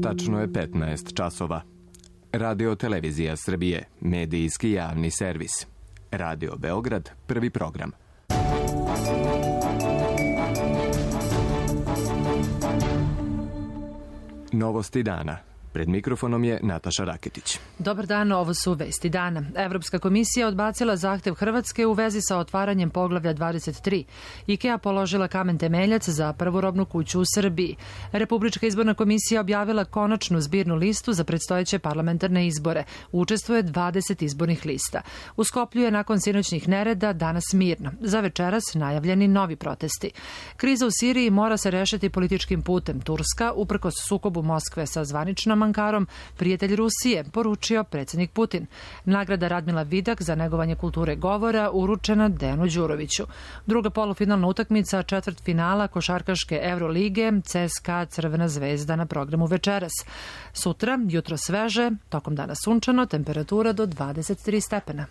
Tačno je 15 časova. Radio Televizija Srbije, medijski javni servis. Radio Beograd, prvi program. Novosti dana. Pred mikrofonom je Nataša Raketić. Dobar dan, ovo su vesti dana. Evropska komisija odbacila zahtev Hrvatske u vezi sa otvaranjem poglavlja 23. IKEA položila kamen temeljac za prvu robnu kuću u Srbiji. Republička izborna komisija objavila konačnu zbirnu listu za predstojeće parlamentarne izbore. Učestvuje 20 izbornih lista. U Skoplju je nakon sinoćnih nereda danas mirno. Za večeras najavljeni novi protesti. Kriza u Siriji mora se rešiti političkim putem. Turska, uprkos sukobu Moskve sa zvaničnom Ankarom, prijatelj Rusije, poručio predsjednik Putin. Nagrada Radmila Vidak za negovanje kulture govora uručena Dejanu Đuroviću. Druga polufinalna utakmica četvrtfinala košarkaške Evrolige CSKA Crvena zvezda na programu večeras. Sutra, jutro sveže, tokom dana sunčano, temperatura do 23 stepena.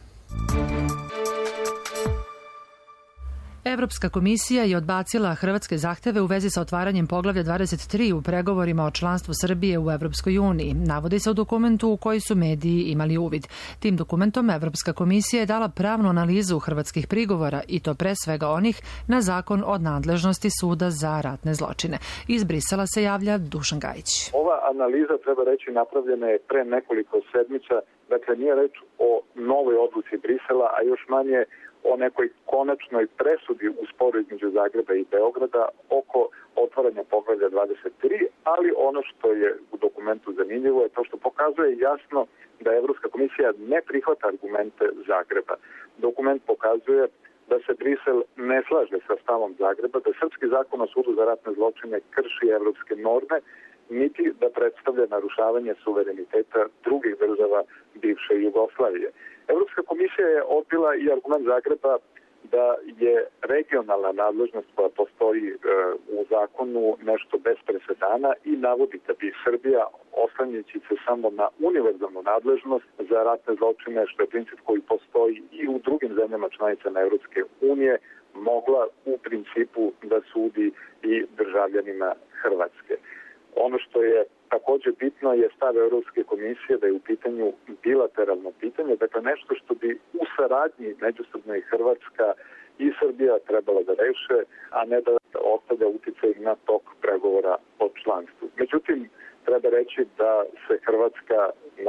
Evropska komisija je odbacila hrvatske zahteve u vezi sa otvaranjem poglavlja 23 u pregovorima o članstvu Srbije u Evropskoj uniji. Navodi se u dokumentu u koji su mediji imali uvid. Tim dokumentom Evropska komisija je dala pravnu analizu hrvatskih prigovora i to pre svega onih na zakon od nadležnosti suda za ratne zločine. Iz Brisela se javlja Dušan Gajić. Ova analiza, treba reći, napravljena je pre nekoliko sedmica. Dakle, nije reč o novoj odluci Brisela, a još manje o nekoj konačnoj presudi u sporu između Zagreba i Beograda oko otvaranja poglavlja 23, ali ono što je u dokumentu zanimljivo je to što pokazuje jasno da Evropska komisija ne prihvata argumente Zagreba. Dokument pokazuje da se Brisel ne slaže sa stavom Zagreba, da srpski zakon o sudu za ratne zločine krši evropske norme, niti da predstavlja narušavanje suvereniteta drugih država bivše Jugoslavije. Evropska komisija je odbila i argument Zagreba da je regionalna nadležnost koja postoji u zakonu nešto bez presedana i navodi da bi Srbija, oslanjajući se samo na univerzalnu nadležnost za ratne zločine, što je princip koji postoji i u drugim zemljama članicama Evropske unije, mogla u principu da sudi i državljanima Hrvatske. Ono što je također bitno je stav Europske komisije da je u pitanju bilateralno pitanje, dakle nešto što bi u saradnji međusobno i Hrvatska i Srbija trebala da reše, a ne da ostavlja uticaj na tok pregovora o članstvu. Međutim, treba reći da se Hrvatska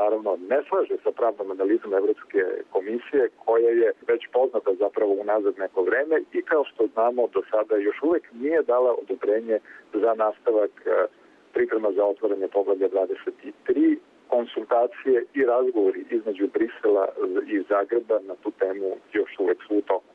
naravno ne slaže sa pravnom analizom Evropske komisije, koja je već poznata zapravo unazad neko vreme i kao što znamo do sada još uvek nije dala odobrenje za nastavak priprema za otvaranje poglavlja 23, konsultacije i razgovori između Brisela i Zagreba na tu temu još uvek su u toku.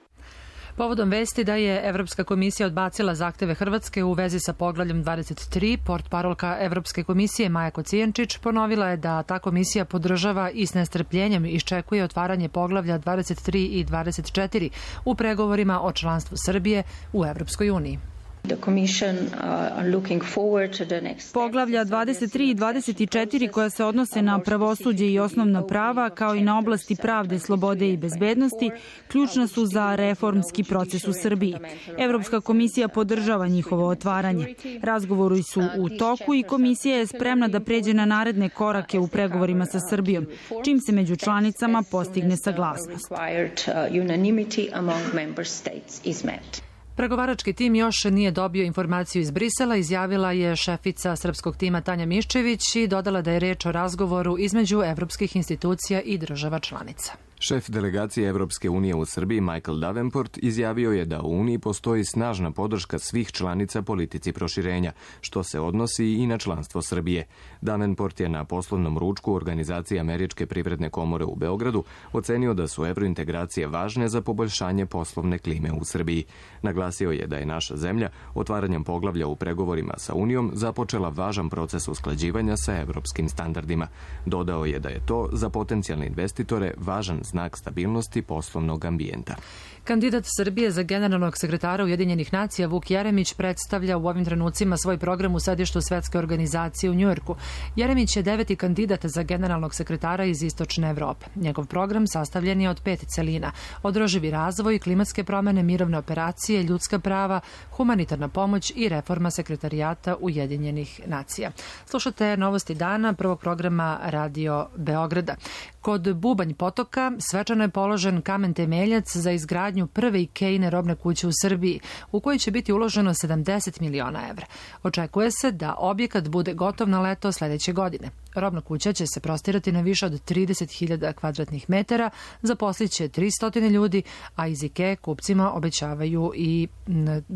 Povodom vesti da je Evropska komisija odbacila zahteve Hrvatske u vezi sa poglavljem 23, portparolka Evropske komisije Maja Kocijančić ponovila je da ta komisija podržava i s nestrpljenjem iščekuje otvaranje poglavlja 23 i 24 u pregovorima o članstvu Srbije u Evropskoj uniji. Poglavlja 23 i 24 koja se odnose na pravosuđe i osnovna prava, kao i na oblasti pravde, slobode i bezbednosti, ključna su za reformski proces u Srbiji. Evropska komisija podržava njihovo otvaranje. Razgovori su u toku i komisija je spremna da pređe na naredne korake u pregovorima sa Srbijom, čim se među članicama postigne saglasnost. Pregovarački tim još nije dobio informaciju iz Brisela, izjavila je šefica srpskog tima Tanja Miščević i dodala da je reč o razgovoru između evropskih institucija i država članica. Šef delegacije Evropske unije u Srbiji Michael Davenport izjavio je da u Uniji postoji snažna podrška svih članica politici proširenja, što se odnosi i na članstvo Srbije. Davenport je na poslovnom ručku organizacije Američke privredne komore u Beogradu ocenio da su evrointegracije važne za poboljšanje poslovne klime u Srbiji. Naglasio je da je naša zemlja otvaranjem poglavlja u pregovorima sa Unijom započela važan proces usklađivanja sa evropskim standardima. Dodao je da je to za potencijalne investitore važan znak stabilnosti poslovnog ambijenta. Kandidat Srbije za generalnog sekretara Ujedinjenih nacija Vuk Jeremić predstavlja u ovim trenucima svoj program u sedištu Svetske organizacije u Njujorku. Jeremić je 9. kandidat za generalnog sekretara iz Istočne Evrope. Njegov program sastavljen je od 5 celina: održivi razvoj, klimatske promene, mirovne operacije, ljudska prava, humanitarna pomoć i reforma sekretarijata Ujedinjenih nacija. Slušate Novosti dana prvog programa Radio Beograda. Kod Bubanj potoka svečano je položen kamen temeljac za izgradnju prve IKEA-ine robne kuće u Srbiji, u kojoj će biti uloženo 70 miliona evra. Očekuje se da objekat bude gotov na leto sledeće godine. Robna kuća će se prostirati na više od 30.000 kvadratnih metara, zaposliće 300 ljudi, a iz IKEA kupcima obećavaju i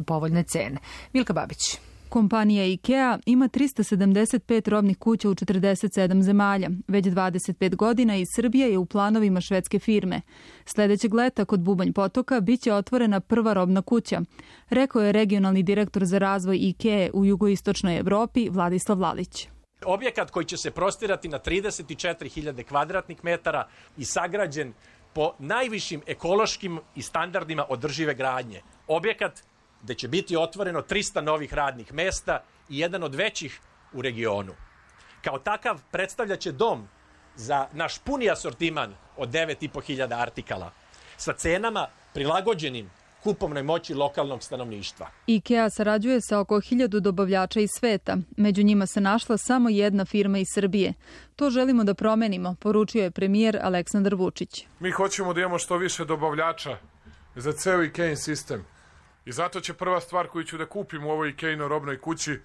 povoljne cene. Milka Babić. Kompanija IKEA ima 375 robnih kuća u 47 zemalja. Već 25 godina iz Srbije je u planovima švedske firme. Sledećeg leta kod Bubanj potoka biće otvorena prva robna kuća, rekao je regionalni direktor za razvoj IKEA u jugoistočnoj Evropi Vladislav Lalić. Objekat koji će se prostirati na 34.000 kvadratnih metara i sagrađen po najvišim ekološkim i standardima održive gradnje. Objekat gde će biti otvoreno 300 novih radnih mesta i jedan od većih u regionu. Kao takav predstavljaće dom za naš puni asortiman od 9.500 artikala sa cenama prilagođenim kupovnoj moći lokalnog stanovništva. IKEA sarađuje sa oko 1000 dobavljača iz sveta. Među njima se našla samo jedna firma iz Srbije. To želimo da promenimo, poručio je premijer Aleksandar Vučić. Mi hoćemo da imamo što više dobavljača za ceo IKEA sistem. I zato će prva stvar koju ću da kupim u ovoj IKEA-inoj robnoj kući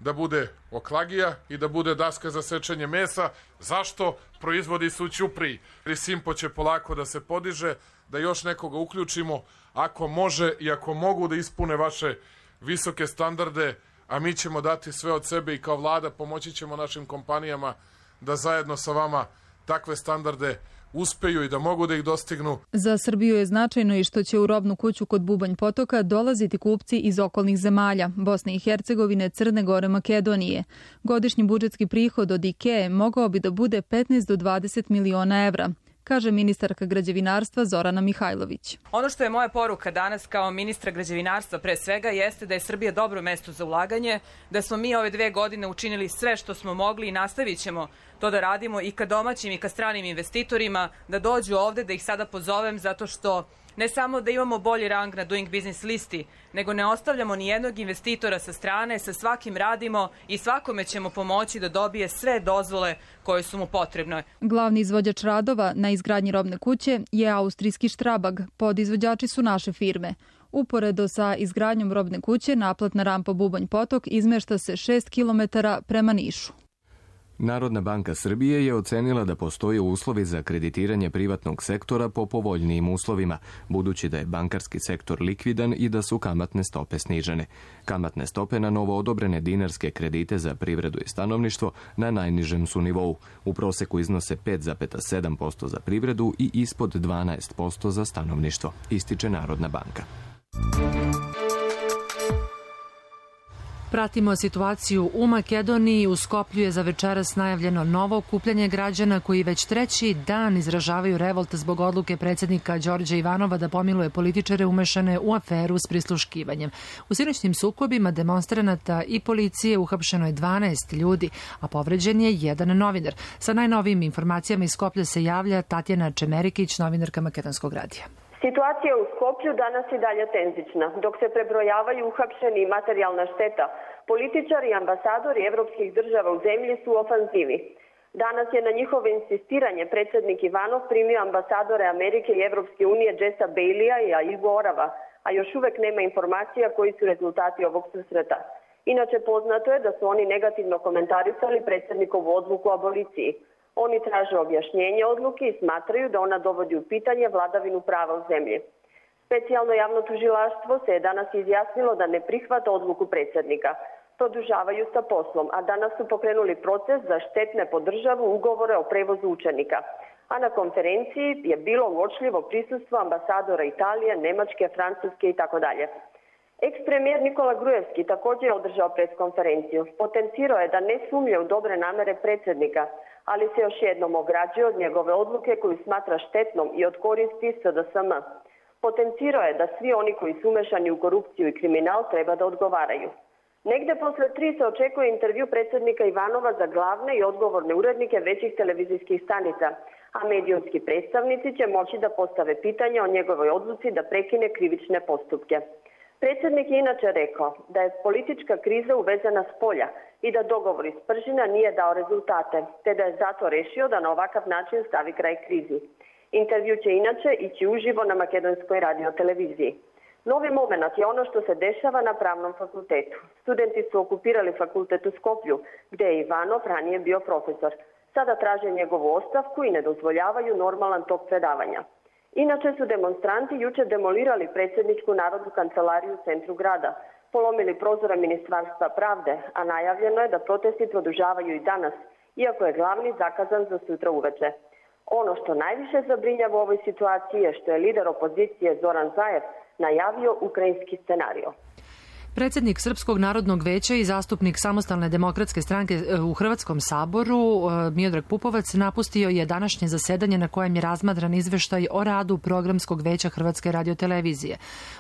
da bude oklagija i da bude daska za sečenje mesa. Zašto? Proizvodi su u Ćupriji. Simpo će polako da se podiže, da još nekoga uključimo, ako može i ako mogu da ispune vaše visoke standarde, a mi ćemo dati sve od sebe i kao vlada pomoći ćemo našim kompanijama da zajedno sa vama takve standarde uspeju i da mogu da ih dostignu. Za Srbiju je značajno i što će u robnu kuću kod Bubanj potoka dolaziti kupci iz okolnih zemalja, Bosne i Hercegovine, Crne Gore, Makedonije. Godišnji budžetski prihod od IKEA mogao bi da bude 15 do 20 miliona evra, kaže ministarka građevinarstva Zorana Mihajlović. Ono što je moja poruka danas kao ministra građevinarstva pre svega jeste da je Srbija dobro mesto za ulaganje, da smo mi ove 2 godine učinili sve što smo mogli i nastavit ćemo to da radimo i ka domaćim i ka stranim investitorima, da dođu ovde, da ih sada pozovem zato što ne samo da imamo bolji rang na Doing Business listi, nego ne ostavljamo ni jednog investitora sa strane, sa svakim radimo i svakome ćemo pomoći da dobije sve dozvole koje su mu potrebne. Glavni izvođač radova na izgradnji robne kuće je austrijski Strabag, podizvođači su naše firme. Uporedo sa izgradnjom robne kuće, naplatna rampa Bubanj potok izmešta se 6 km prema Nišu. Narodna banka Srbije je ocenila da postoje uslovi za kreditiranje privatnog sektora po povoljnijim uslovima, budući da je bankarski sektor likvidan i da su kamatne stope snižene. Kamatne stope na novo odobrene dinarske kredite za privredu i stanovništvo na najnižem su nivou. U proseku iznose 5,7% za privredu i ispod 12% za stanovništvo, ističe Narodna banka. Pratimo situaciju u Makedoniji. U Skoplju je za večeras najavljeno novo okupljanje građana koji već 3. dan izražavaju revolt zbog odluke predsjednika Đorđa Ivanova da pomiluje političare umešane u aferu s prisluškivanjem. U sinoćnim sukobima demonstranata i policije uhapšeno je 12 ljudi, a povređen je jedan novinar. Sa najnovijim informacijama iz Skoplja se javlja Tatjana Čemerikić, novinarka Makedonskog radija. Situacija u Skoplju danas je dalje tenzična. Dok se prebrojavaju uhapšeni i materijalna šteta, političari i ambasadori evropskih država u zemlji su u ofanzivi. Danas je na njihovo insistiranje predsjednik Ivanov primio ambasadore Amerike i Evropske unije Jessa Baileya i Igo Orava, a još uvek nema informacija koji su rezultati ovog susreta. Inače, poznato je da su oni negativno komentarisali predsjednikovu odluku o aboliciji. Oni traže objašnjenje odluke i smatraju da ona dovodi u pitanje vladavinu prava u zemlji. Specijalno javno tužilaštvo se je danas izjasnilo da ne prihvata odluku predsjednika. Produžavaju sa poslom, a danas su pokrenuli proces za štetne po državu ugovore o prevozu učenika. A na konferenciji je bilo uočljivo prisustvo ambasadora Italije, Nemačke, Francuske itd. Eks-premijer Nikola Grujevski također je održao preskonferenciju. Potencirao je da ne sumnje u dobre namere predsjednika, ali se još jednom ograđuje od njegove odluke koju smatra štetnom i od koristi SDSM. Potencirao je da svi oni koji su umešani u korupciju i kriminal treba da odgovaraju. Negde posle 3 se očekuje intervju predsjednika Ivanova za glavne i odgovorne urednike većih televizijskih stanica, a medijski predstavnici će moći da postave pitanja o njegovoj odluci da prekine krivične postupke. Predsjednik je inače rekao da je politička kriza uvezena s polja i da dogovor iz Pržina nije dao rezultate, te da je zato rešio da na ovakav način stavi kraj krizi. Intervju će inače ići uživo na Makedonskoj radioteleviziji. Novi moment je ono što se dešava na Pravnom fakultetu. Studenti su okupirali fakultet u Skoplju, gde je Ivanov ranije bio profesor. Sada traže njegovu ostavku i ne dozvoljavaju normalan tok predavanja. Inače su demonstranti juče demolirali predsjedničku Narodnu kancelariju u centru grada, polomili prozore Ministarstva pravde, a najavljeno je da protesti produžavaju i danas, iako je glavni zakazan za sutra uveče. Ono što najviše zabrinjava u ovoj situaciji je što je lider opozicije Zoran Zaev najavio ukrajinski scenario. Predsjednik Srpskog narodnog veća i zastupnik Samostalne demokratske stranke u Hrvatskom saboru, Miodrag Pupovac, napustio je današnje zasedanje na kojem je razmatran izveštaj o radu Programskog veća Hrvatske radiotelevizije.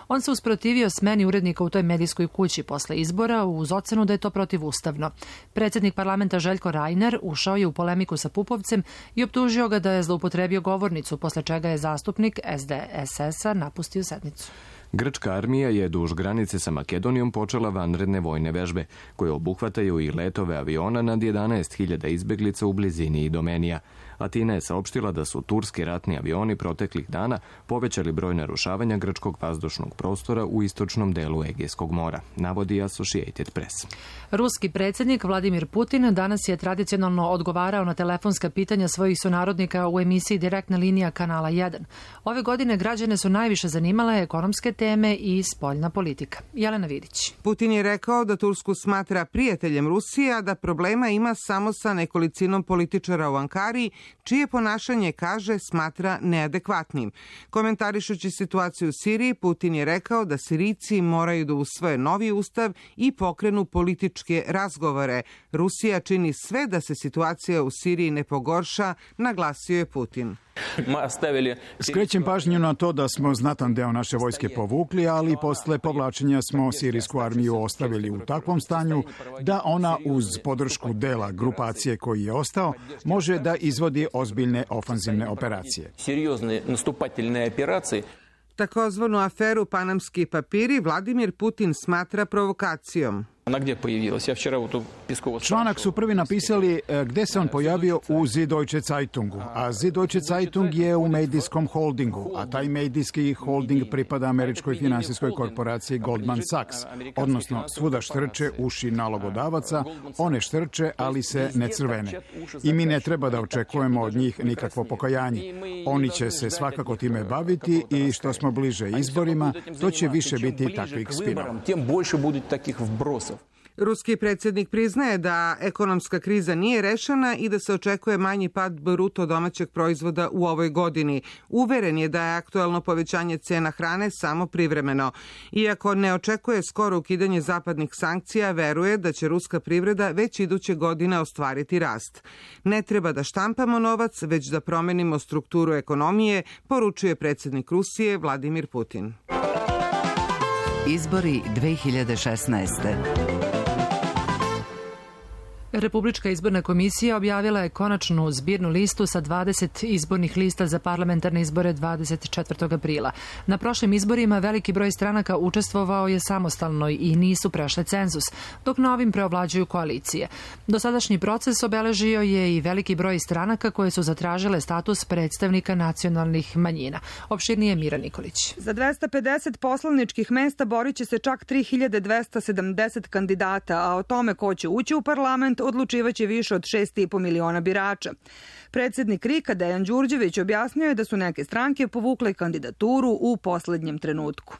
On se usprotivio smeni urednika u toj medijskoj kući posle izbora uz ocenu da je to protivustavno. Predsjednik parlamenta Željko Reiner ušao je u polemiku sa Pupovcem i optužio ga da je zloupotrebio govornicu, posle čega je zastupnik SDSS-a napustio sednicu. Grčka armija je duž granice sa Makedonijom počela vanredne vojne vežbe, koje obuhvataju i letove aviona nad 11.000 izbeglica u blizini Idomenija. Atina je saopštila da su turski ratni avioni proteklih dana povećali broj narušavanja grčkog vazdušnog prostora u istočnom delu Egejskog mora, navodi Associated Press. Ruski predsjednik Vladimir Putin danas je tradicionalno odgovarao na telefonska pitanja svojih sunarodnika u emisiji Direktna linija kanala 1. Ove godine građane su najviše zanimale ekonomske teme i spoljna politika. Jelena Vidić. Putin je rekao da Tursku smatra prijateljem Rusije, a da problema ima samo sa nekolicinom političara u Ankari, čije ponašanje, kaže, smatra neadekvatnim. Komentarišući situaciju u Siriji, Putin je rekao da Sirijci moraju da usvoje novi ustav i pokrenu političke razgovore. Rusija čini sve da se situacija u Siriji ne pogorša, naglasio je Putin. Skrećem pažnju na to da smo znatan deo naše vojske povukli, ali posle povlačenja smo sirijsku armiju ostavili u takvom stanju da ona uz podršku dela grupacije koji je ostao može da izvodi ozbiljne ofanzivne operacije. Takozvanu aferu Panamski papiri Vladimir Putin smatra provokacijom. Članak su prvi napisali gde se on pojavio u Süddeutsche Zeitungu, a Süddeutsche Zeitung je u medijskom holdingu, a taj medijski holding pripada američkoj finansijskoj korporaciji Goldman Sachs, odnosno svuda štrče uši nalogodavaca, one štrče, ali se ne crvene. I mi ne treba da očekujemo od njih nikakvo pokajanje. Oni će se svakako time baviti i što smo bliže izborima, to će više biti takvih spinova. Ruski predsjednik priznaje da ekonomska kriza nije rešena i da se očekuje manji pad bruto domaćeg proizvoda u ovoj godini. Uveren je da je aktuelno povećanje cena hrane samo privremeno. Iako ne očekuje skoro ukidanje zapadnih sankcija, veruje da će ruska privreda već iduće godine ostvariti rast. Ne treba da štampamo novac, već da promenimo strukturu ekonomije, poručuje predsjednik Rusije Vladimir Putin. Izbori 2016. Republička izborna komisija objavila je konačnu zbirnu listu sa 20 izbornih lista za parlamentarne izbore 24. aprila. Na prošlim izborima veliki broj stranaka učestvovao je samostalno i nisu prešle cenzus, dok na ovim preovlađuju koalicije. Dosadašnji proces obeležio je i veliki broj stranaka koje su zatražile status predstavnika nacionalnih manjina. Opširnije Mira Nikolić. Za 250 poslaničkih mesta borit će se čak 3270 kandidata, a o tome ko će ući u parlament odlučivaće više od 6,5 miliona birača. Predsjednik RIK-a Dejan Đurđević objasnio je da su neke stranke povukle kandidaturu u poslednjem trenutku.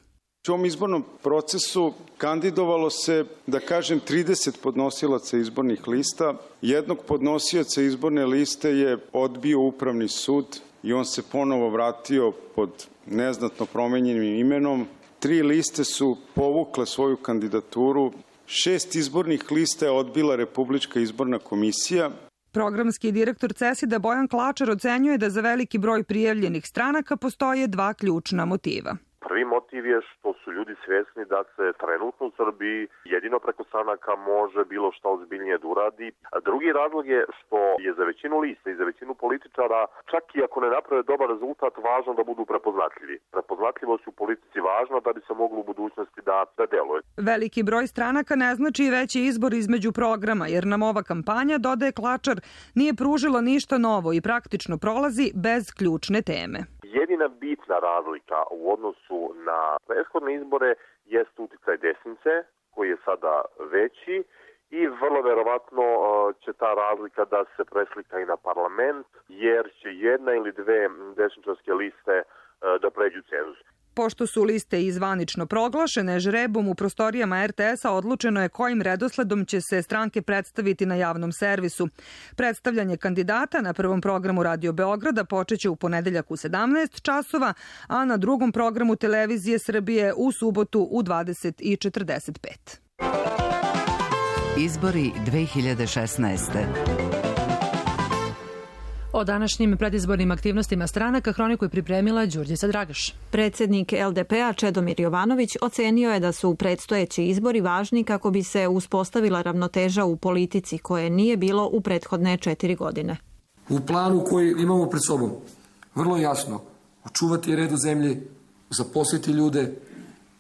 U ovom izbornom procesu kandidovalo se, da kažem, 30 podnosilaca izbornih lista. Jednog podnosioca izborne liste je odbio Upravni sud i on se ponovo vratio pod neznatno promenjenim imenom. 3 liste su povukle svoju kandidaturu. 6 izbornih lista je odbila Republička izborna komisija. Programski direktor CESID-a Bojan Klačar ocenjuje da za veliki broj prijavljenih stranaka postoje dva ključna motiva. Prvi motiv je što su ljudi svjesni da se trenutno u Srbiji jedino preko stranaka može bilo šta ozbiljnije da uradi. A drugi razlog je što je za većinu lista i za većinu političara, čak i ako ne naprave dobar rezultat, važno da budu prepoznatljivi. Prepoznatljivost u politici važna da bi se moglo u budućnosti da deluje. Veliki broj stranaka ne znači veći izbor između programa, jer nam ova kampanja, dodaje Klačar, nije pružila ništa novo i praktično prolazi bez ključne teme. Jedina bitna razlika u odnosu na prethodne izbore jest uticaj desnice, koji je sada veći i vrlo verovatno će ta razlika da se preslika i na parlament, jer će jedna ili dve desničarske liste da pređu cenzus. Pošto su liste izvanično proglašene, žrebom u prostorijama RTS-a odlučeno je kojim redosledom će se stranke predstaviti na javnom servisu. Predstavljanje kandidata na prvom programu Radio Beograda počeće u ponedeljak u 17 časova, a na drugom programu Televizije Srbije u subotu u 20:45. Izbori 2016. O današnjim predizbornim aktivnostima stranaka hroniku je pripremila Đurđica Dragaš. Predsjednik LDP-a Čedomir Jovanović ocenio je da su predstojeći izbori važni kako bi se uspostavila ravnoteža u politici koje nije bilo u prethodne 4 godine. U planu koji imamo pred sobom, vrlo jasno, očuvati red u zemlji, zaposliti ljude,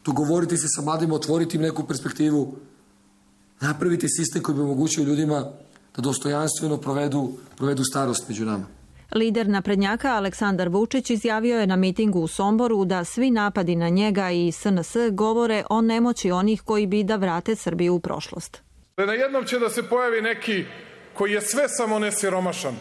dogovoriti se sa mladima, otvoriti im neku perspektivu, napraviti sistem koji bi omogućio ljudima da dostojanstveno provedu starost među nama. Lider naprednjaka Aleksandar Vučić izjavio je na mitingu u Somboru da svi napadi na njega i SNS govore o nemoći onih koji bi da vrate Srbiju u prošlost. Najednom će da se pojavi neki koji je sve samo ne siromašan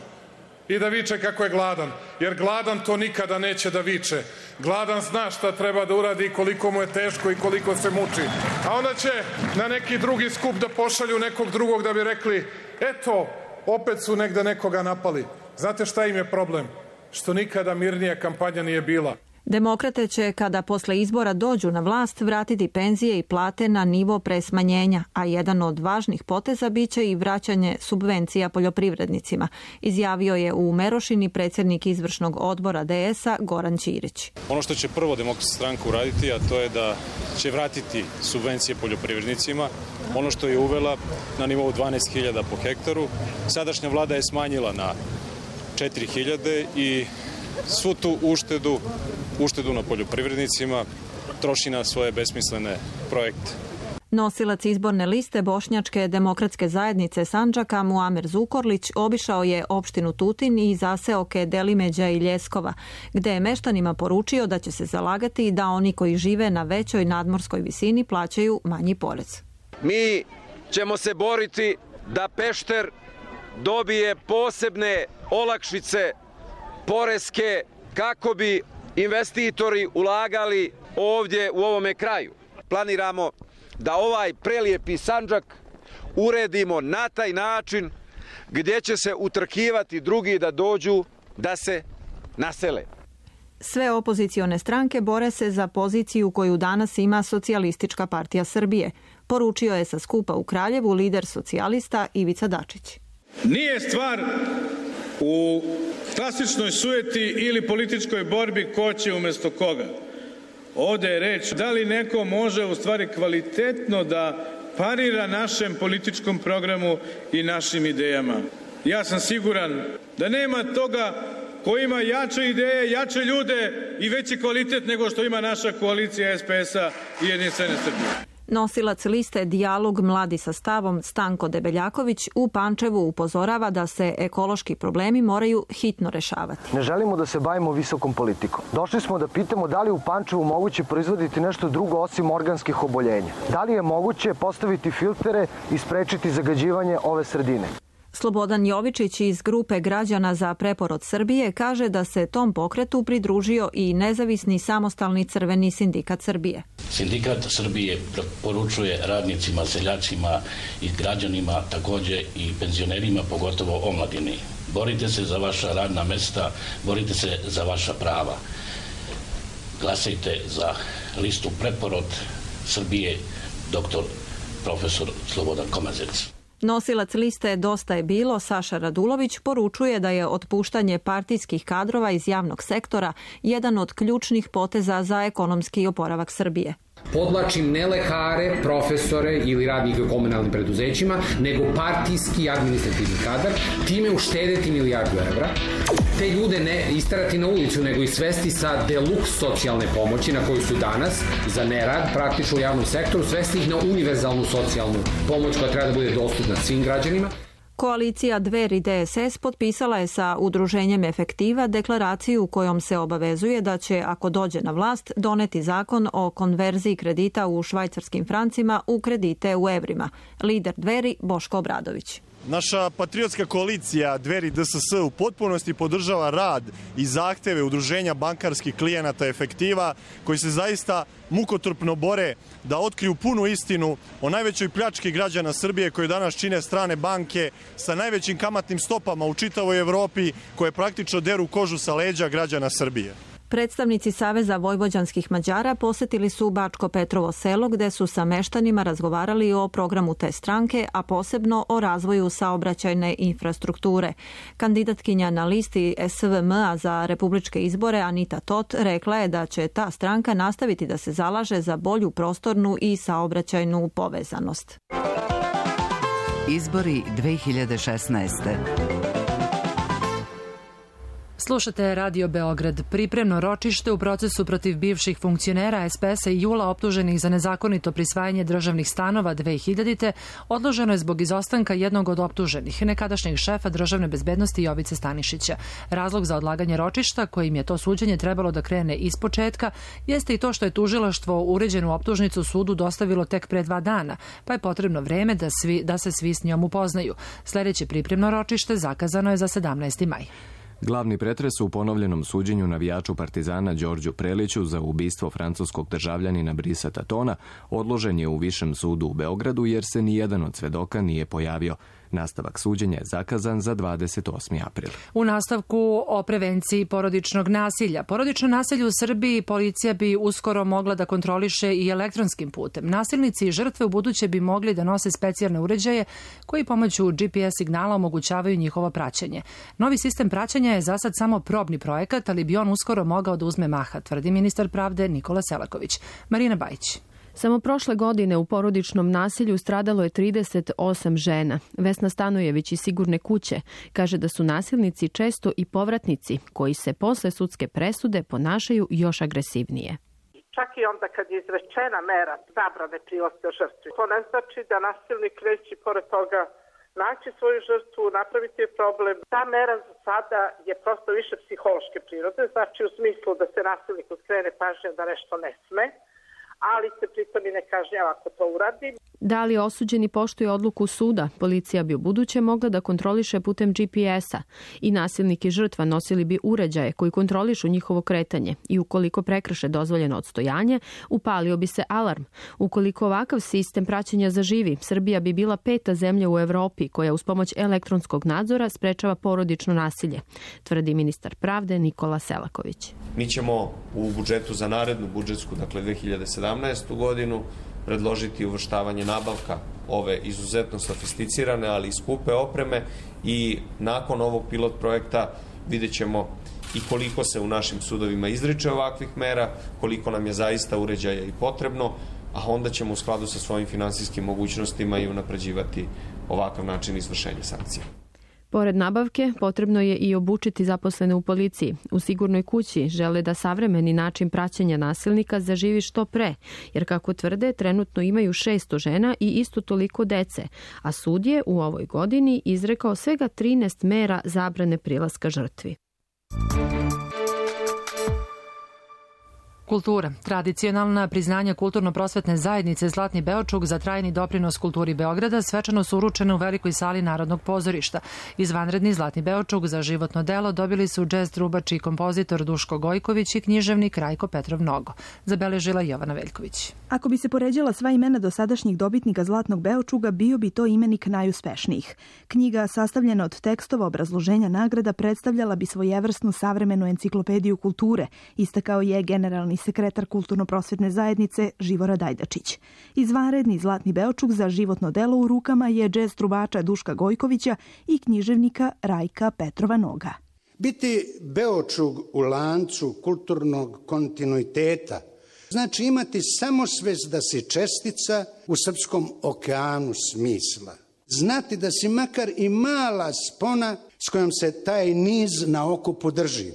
i da viče kako je gladan, jer gladan to nikada neće da viče. Gladan zna šta treba da uradi i koliko mu je teško i koliko se muči. A onda će na neki drugi skup da pošalju nekog drugog da bi rekli: eto, opet su negde nekoga napali. Znate šta im je problem? Što nikada mirnija kampanja nije bila. Demokrate će, kada posle izbora dođu na vlast, vratiti penzije i plate na nivo pre smanjenja, a jedan od važnih poteza biće i vraćanje subvencija poljoprivrednicima, izjavio je u Merošini predsjednik izvršnog odbora DS-a Goran Ćirić. Ono što će prvo Demokratska stranka uraditi, a to je da će vratiti subvencije poljoprivrednicima, ono što je uvela na nivou 12.000 po hektaru. Sadašnja vlada je smanjila na 4.000 i svu tu uštedu na poljoprivrednicima troši na svoje besmislene projekte. Nosilac izborne liste Bošnjačke demokratske zajednice Sandžaka Muamer Zukorlić obišao je opštinu Tutin i zaseoke Delimeđa i Ljeskova, gde je meštanima poručio da će se zalagati da oni koji žive na većoj nadmorskoj visini plaćaju manji porez. Mi ćemo se boriti da Pešter dobije posebne olakšice poreske kako bi investitori ulagali ovdje u ovome kraju. Planiramo da ovaj prelijepi Sandžak uredimo na taj način gdje će se utrkivati drugi da dođu da se nasele. Sve opozicione stranke bore se za poziciju koju danas ima Socijalistička partija Srbije, poručio je sa skupa u Kraljevu lider socijalista Ivica Dačić. Nije stvar u klasičnoj sujeti ili političkoj borbi ko će umjesto koga. Ovdje je reč da li neko može u stvari kvalitetno da parira našem političkom programu i našim idejama. Ja sam siguran da nema toga ko ima jače ideje, jače ljude i veći kvalitet nego što ima naša koalicija SPS-a i Jedinstvene Srbije. Nosilac liste Dijalog mladi sa stavom Stanko Debeljaković u Pančevu upozorava da se ekološki problemi moraju hitno rešavati. Ne želimo da se bavimo visokom politikom. Došli smo da pitamo da li u Pančevu moguće proizvoditi nešto drugo osim organskih oboljenja. Da li je moguće postaviti filtere i sprečiti zagađivanje ove sredine. Slobodan Jovičić iz grupe građana za preporod Srbije kaže da se tom pokretu pridružio i nezavisni samostalni Crveni sindikat Srbije. Sindikat Srbije poručuje radnicima, seljacima i građanima, također i penzionerima, pogotovo omladini. Borite se za vaša radna mesta, borite se za vaša prava. Glasajte za listu Preporod Srbije, profesor Slobodan Komazec. Nosilac liste Dosta je bilo, Saša Radulović, poručuje da je otpuštanje partijskih kadrova iz javnog sektora jedan od ključnih poteza za ekonomski oporavak Srbije. Podlačim ne lekare, profesore ili radnike u komunalnim preduzećima, nego partijski administrativni kadar, time uštedeti milijardu evra, te ljude ne isterati na ulicu, nego i svesti sa deluks socijalne pomoći na koju su danas za nerad praktično u javnom sektoru, svesti ih na univerzalnu socijalnu pomoć koja treba da bude dostupna svim građanima. Koalicija Dveri DSS potpisala je sa udruženjem Efektiva deklaraciju kojom se obavezuje da će, ako dođe na vlast, doneti zakon o konverziji kredita u švajcarskim francima u kredite u evrima. Lider Dveri Boško Obradović. Naša patriotska koalicija Dveri DSS u potpunosti podržava rad i zahteve udruženja bankarskih klijenata Efektiva koji se zaista mukotrpno bore da otkriju punu istinu o najvećoj pljački građana Srbije koju danas čine strane banke sa najvećim kamatnim stopama u čitavoj Evropi koje praktično deru kožu sa leđa građana Srbije. Predstavnici Saveza vojvođanskih Mađara posetili su Bačko Petrovo selo gde su sa meštanima razgovarali o programu te stranke, a posebno o razvoju saobraćajne infrastrukture. Kandidatkinja na listi SVM-a za republičke izbore Anita Tot rekla je da će ta stranka nastaviti da se zalaže za bolju prostornu i saobraćajnu povezanost. Izbori 2016. Slušate Radio Beograd. Pripremno ročište u procesu protiv bivših funkcionera SPS-a i JUL-a optuženih za nezakonito prisvajanje državnih stanova 2000. odloženo je zbog izostanka jednog od optuženih, nekadašnjeg šefa državne bezbednosti Jovice Stanišića. Razlog za odlaganje ročišta, kojim je to suđenje trebalo da krene ispočetka, jeste i to što je tužilaštvo uređenu optužnicu sudu dostavilo tek pre 2 dana, pa je potrebno vreme da se svi s njom upoznaju. Sledeće pripremno ročište zakazano je za 17. maj. Glavni pretres u ponovljenom suđenju navijaču Partizana Đorđu Preliću za ubistvo francuskog državljanina Brisa Tatona odložen je u Višem sudu u Beogradu jer se nijedan od svedoka nije pojavio. Nastavak suđenja je zakazan za 28. april. U nastavku o prevenciji porodičnog nasilja. Porodično nasilje u Srbiji policija bi uskoro mogla da kontroliše i elektronskim putem. Nasilnici i žrtve u buduće bi mogli da nose specijalne uređaje koji pomoću GPS signala omogućavaju njihovo praćenje. Novi sistem praćenja je za sad samo probni projekat, ali bi on uskoro mogao da uzme maha, tvrdi ministar pravde Nikola Selaković. Marina Bajić. Samo prošle godine u porodičnom nasilju stradalo je 38 žena. Vesna Stanojević iz Sigurne kuće kaže da su nasilnici često i povratnici koji se posle sudske presude ponašaju još agresivnije. Čak i onda kad je izrečena mera zabrane prilaska žrtvi. To ne znači da nasilnik neće pored toga naći svoju žrtvu, napraviti problem. Ta mera za sada je prosto više psihološke prirode, znači u smislu da se nasilniku skrene pažnja da nešto ne sme, ali se pritom i ne kažnjava ako to uradi. Da li osuđeni poštuje odluku suda, policija bi u buduće mogla da kontroliše putem GPS-a i nasilnik i žrtva nosili bi uređaje koji kontrolišu njihovo kretanje i ukoliko prekrše dozvoljeno odstojanje, upalio bi se alarm. Ukoliko ovakav sistem praćenja zaživi, Srbija bi bila 5. zemlja u Evropi koja uz pomoć elektronskog nadzora sprečava porodično nasilje, tvrdi ministar pravde Nikola Selaković. Mi ćemo u budžetu za narednu budžetsku, dakle 2017. godinu, predložiti uvrštavanje nabavka ove izuzetno sofisticirane, ali i skupe opreme i nakon ovog pilot projekta vidjet ćemo i koliko se u našim sudovima izriče ovakvih mera, koliko nam je zaista uređaja i potrebno, a onda ćemo u skladu sa svojim finansijskim mogućnostima i unapređivati ovakav način izvršenja sankcija. Pored nabavke, potrebno je i obučiti zaposlene u policiji. U Sigurnoj kući žele da savremeni način praćenja nasilnika zaživi što pre, jer kako tvrde, trenutno imaju 600 žena i isto toliko dece, a sud je u ovoj godini izrekao svega 13 mera zabrane prilaska žrtvi. Kultura. Tradicionalna priznanja Kulturno-prosvetne zajednice Zlatni Beočuk za trajni doprinos kulturi Beograda svečano su uručene u velikoj sali Narodnog pozorišta. Izvanredni Zlatni Beočuk za životno delo dobili su džez trubač i kompozitor Duško Gojković i književnik Rajko Petrov Nogo. Zabeležila Jovana Veljković. Ako bi se poređala sva imena dosadašnjih dobitnika Zlatnog Beočuga, bio bi to imenik najuspešnijih. Knjiga, sastavljena od tekstova obrazloženja nagrada, predstavljala bi svojevrsnu savremenu enciklopediju kulture, istakao je generalni sekretar Kulturno-prosvetne zajednice Živorad Ajdačić. Izvanredni Zlatni Beočuk za životno delo u rukama je džez trubača Duška Gojkovića i književnika Rajka Petrova Noga. Biti Beočuk u lancu kulturnog kontinuiteta znači imati samosvest da si čestica u srpskom okeanu smisla. Znati da si makar i mala spona s kojom se taj niz na okupu drži.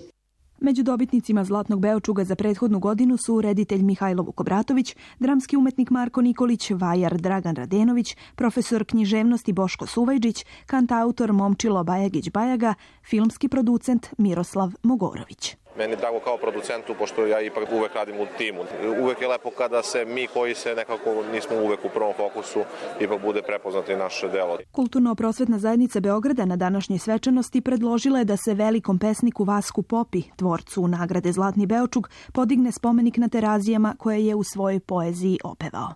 Među dobitnicima Zlatnog Beočuga za prethodnu godinu su reditelj Mihajlo Vukobratović, dramski umetnik Marko Nikolić, vajar Dragan Radenović, profesor književnosti Boško Suvajđić, kantautor Momčilo Bajagić-Bajaga, filmski producent Miroslav Mogorović. Meni je drago kao producentu, pošto ja ipak uvek radim u timu. Uvek je lepo kada se mi koji se nekako nismo uvek u prvom fokusu, ipak bude prepoznati naše delo. Kulturno-prosvetna zajednica Beograda na današnjoj svečanosti predložila je da se velikom pesniku Vasku Popi, tvorcu nagrade Zlatni Beočuk, podigne spomenik na Terazijama koje je u svojoj poeziji opevao.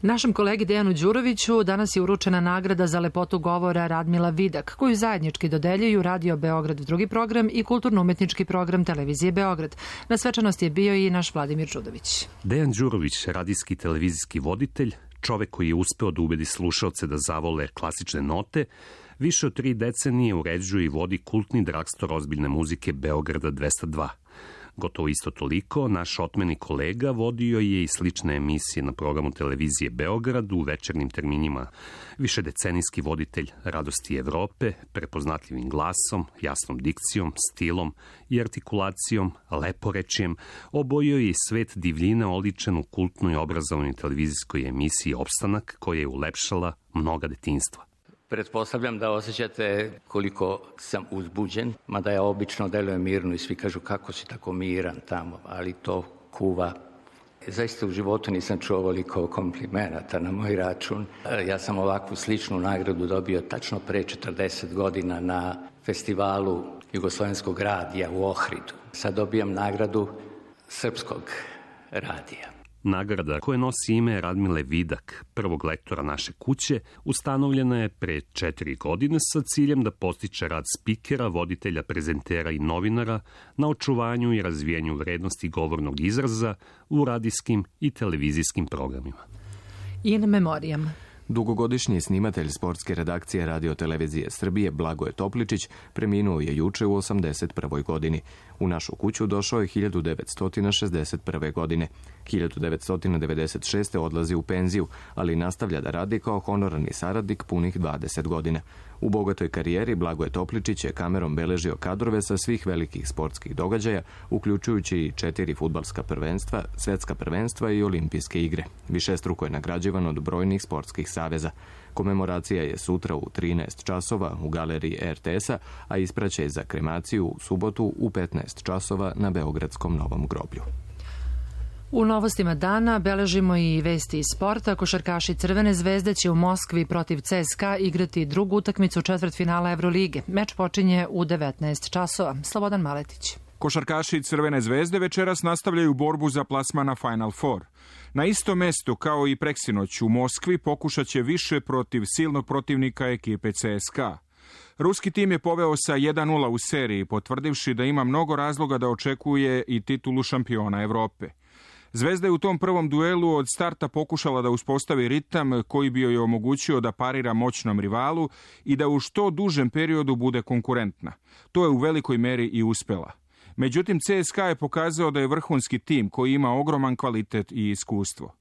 Našem kolegi Dejanu Đuroviću danas je uručena nagrada za lepotu govora Radmila Vidak, koju zajednički dodeljuju Radio Beograd drugi program i kulturno-umetnički program Televizije Beograd. Na svečanosti je bio i naš Vladimir Čudović. Dejan Đurović, radijski televizijski voditelj, čovek koji je uspeo da ubedi slušaoce da zavole klasične note, više od 3 decenije uređuje i vodi kultni dragstor ozbiljne muzike Beograda 202. Gotovo isto toliko, naš otmeni kolega vodio je i slične emisije na programu Televizije Beograd u večernjim terminima. Višedecenijski voditelj Radosti Evrope, prepoznatljivim glasom, jasnom dikcijom, stilom i artikulacijom, leporečjem, obojio je i svet divljine oličen u kultnoj obrazovnoj televizijskoj emisiji Opstanak, koja je ulepšala mnoga detinjstva. Pretpostavljam da osjećate koliko sam uzbuđen, mada ja obično delujem mirno i svi kažu kako si tako miran tamo, ali to kuva. Zaista u životu nisam čuo ovoliko komplimenata na moj račun. Ja sam ovakvu sličnu nagradu dobio tačno pre 40 godina na festivalu Jugoslovenskog radija u Ohridu. Sad dobijam nagradu Srpskog radija. Nagrada koja nosi ime Radmile Vidak, prvog lektora naše kuće, ustanovljena je pre 4 godine sa ciljem da postiče rad spikera, voditelja, prezentera i novinara na očuvanju i razvijanju vrednosti govornog izraza u radijskim i televizijskim programima. In memoriam. Dugogodišnji snimatelj sportske redakcije Radio-televizije Srbije Blagoje Topličić preminuo je juče u 81. godini. U našu kuću došao je 1961. godine. 1996. odlazi u penziju, ali nastavlja da radi kao honorarni saradnik punih 20 godina. U bogatoj karijeri Blagoje Topličić je kamerom beležio kadrove sa svih velikih sportskih događaja, uključujući i 4 fudbalska prvenstva, svetska prvenstva i olimpijske igre. Višestruko je nagrađivan od brojnih sportskih saveza. Komemoracija je sutra u 13 časova u galeriji RTS-a, a ispraćaj za kremaciju u subotu u 15 časova na Beogradskom Novom groblju. U novostima dana beležimo i vesti iz sporta. Košarkaši Crvene zvezde će u Moskvi protiv CSKA igrati drugu utakmicu četvrtfinala Evrolige. Meč počinje u 19 časova. Slobodan Maletić. Košarkaši Crvene zvezde večeras nastavljaju borbu za plasman na Final Four. Na istom mestu kao i preksinoć u Moskvi pokušat će više protiv silnog protivnika ekipe CSKA. Ruski tim je poveo sa 1-0 u seriji, potvrdivši da ima mnogo razloga da očekuje i titulu šampiona Evrope. Zvezda je u tom prvom duelu od starta pokušala da uspostavi ritam koji bi joj omogućio da parira moćnom rivalu i da u što dužem periodu bude konkurentna. To je u velikoj meri i uspela. Međutim, CSKA je pokazao da je vrhunski tim koji ima ogroman kvalitet i iskustvo.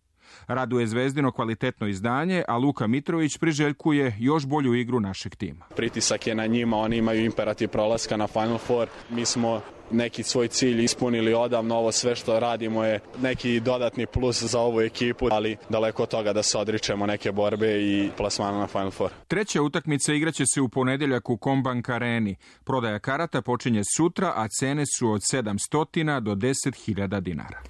Raduje Zvezdino kvalitetno izdanje, a Luka Mitrović priželjkuje još bolju igru našeg tima. Pritisak je na njima, oni imaju imperativ prolaska na Final Four. Mi smo neki svoj cilj ispunili odavno, ovo sve što radimo je neki dodatni plus za ovu ekipu, ali daleko od toga da se odričemo neke borbe i plasmana na Final Four. Treća utakmica igraće se u ponedeljak u Kombank Areni. Prodaja karata počinje sutra, a cene su od 700 do 10.000 dinara.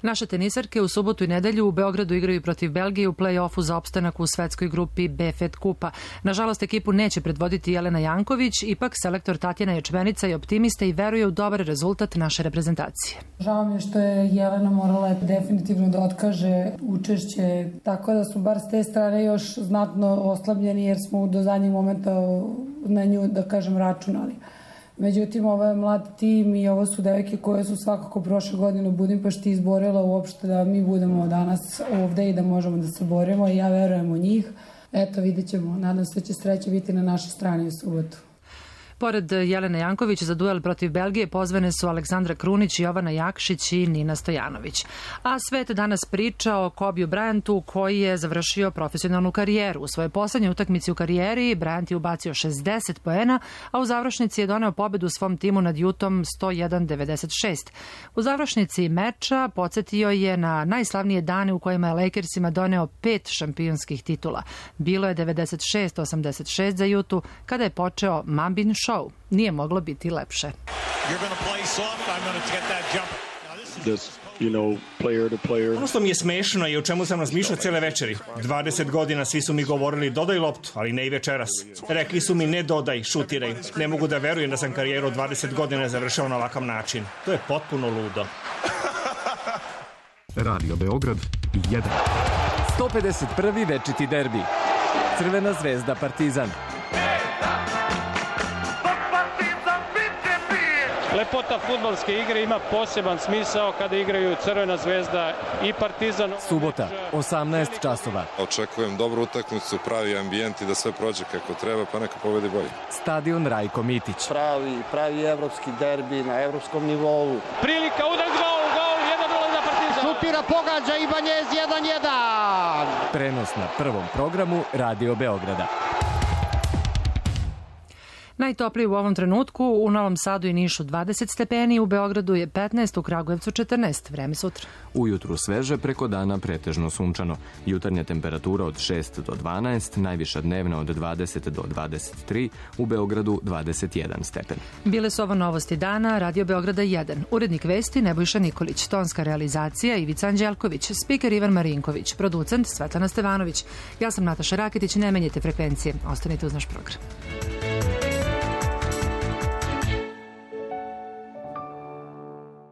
Naše tenisarke u subotu i nedelju u Beogradu igraju protiv Belgije u play-offu za opstanak u svetskoj grupi B Fed Kupa. Nažalost, ekipu neće predvoditi Jelena Janković, ipak selektor Tatjana Ječmenica je optimista i veruje u dobar rezultat naše reprezentacije. Žao mi je što je Jelena morala definitivno da otkaže učešće, tako da smo bar s te strane još znatno oslabljeni jer smo do zadnjeg momenta na nju, da kažem, računali. Međutim, ovo je mlad tim i ovo su devojke koje su svakako prošle godine u Budimpešti izborile uopšte da mi budemo danas ovde i da možemo da se borimo i ja verujem u njih. Eto, vidjet ćemo. Nadam se da će sreća biti na našoj strani u subotu. Pored Jelene Janković za duel protiv Belgije pozvane su Aleksandra Krunić, Jovana Jakšić i Nina Stojanović. A svet danas priča o Kobiju Bryantu koji je završio profesionalnu karijeru. U svojoj poslednjoj utakmici u karijeri Bryant je ubacio 60 poena, a u završnici je doneo pobedu svom timu nad Jutom 101-96. U završnici meča podsjetio je na najslavnije dane u kojima je Lakersima doneo 5 šampionskih titula. Bilo je 96-86 za Jutu kada je počeo Mambin show. Nije moglo biti lepše. Ono što mi je smešno i o čemu sam razmišljao cijele večeri. 20 godina svi su mi govorili dodaj loptu, ali ne i večeras. Rekli su mi ne dodaj, šutiraj. Ne mogu da verujem da sam karijeru 20 godina završao na ovakav način. To je potpuno ludo. Radio Beograd 1. 151. večiti derbi. Crvena zvezda Partizan. Lepota fudbalske igre ima poseban smisao kada igraju Crvena zvezda i Partizan. Subota, 18 časova. Očekujem dobru utakmicu, pravi ambijent i da sve prođe kako treba, pa neka pobedi bolje. Stadion Rajko Mitić. Pravi evropski derbi na evropskom nivou. Prilika, udar, gol, 1-0 za Partizan. Šutira, pogađa Ibanez, 1-1. Prenos na prvom programu Radio Beograda. Najtopliji u ovom trenutku u Novom Sadu i Nišu 20 stepeni, u Beogradu je 15, u Kragujevcu 14. Vreme sutra. Ujutru sveže, preko dana pretežno sunčano. Jutarnja temperatura od 6 do 12, najviša dnevna od 20 do 23, u Beogradu 21 stepen. Bile su ovo novosti dana, Radio Beograda 1. Urednik vesti Nebojša Nikolić, tonska realizacija Ivica Anđelković, spiker Ivan Marinković, producent Svetlana Stevanović. Ja sam Nataša Raketić, ne menjajte frekvencije, ostanite uz naš program.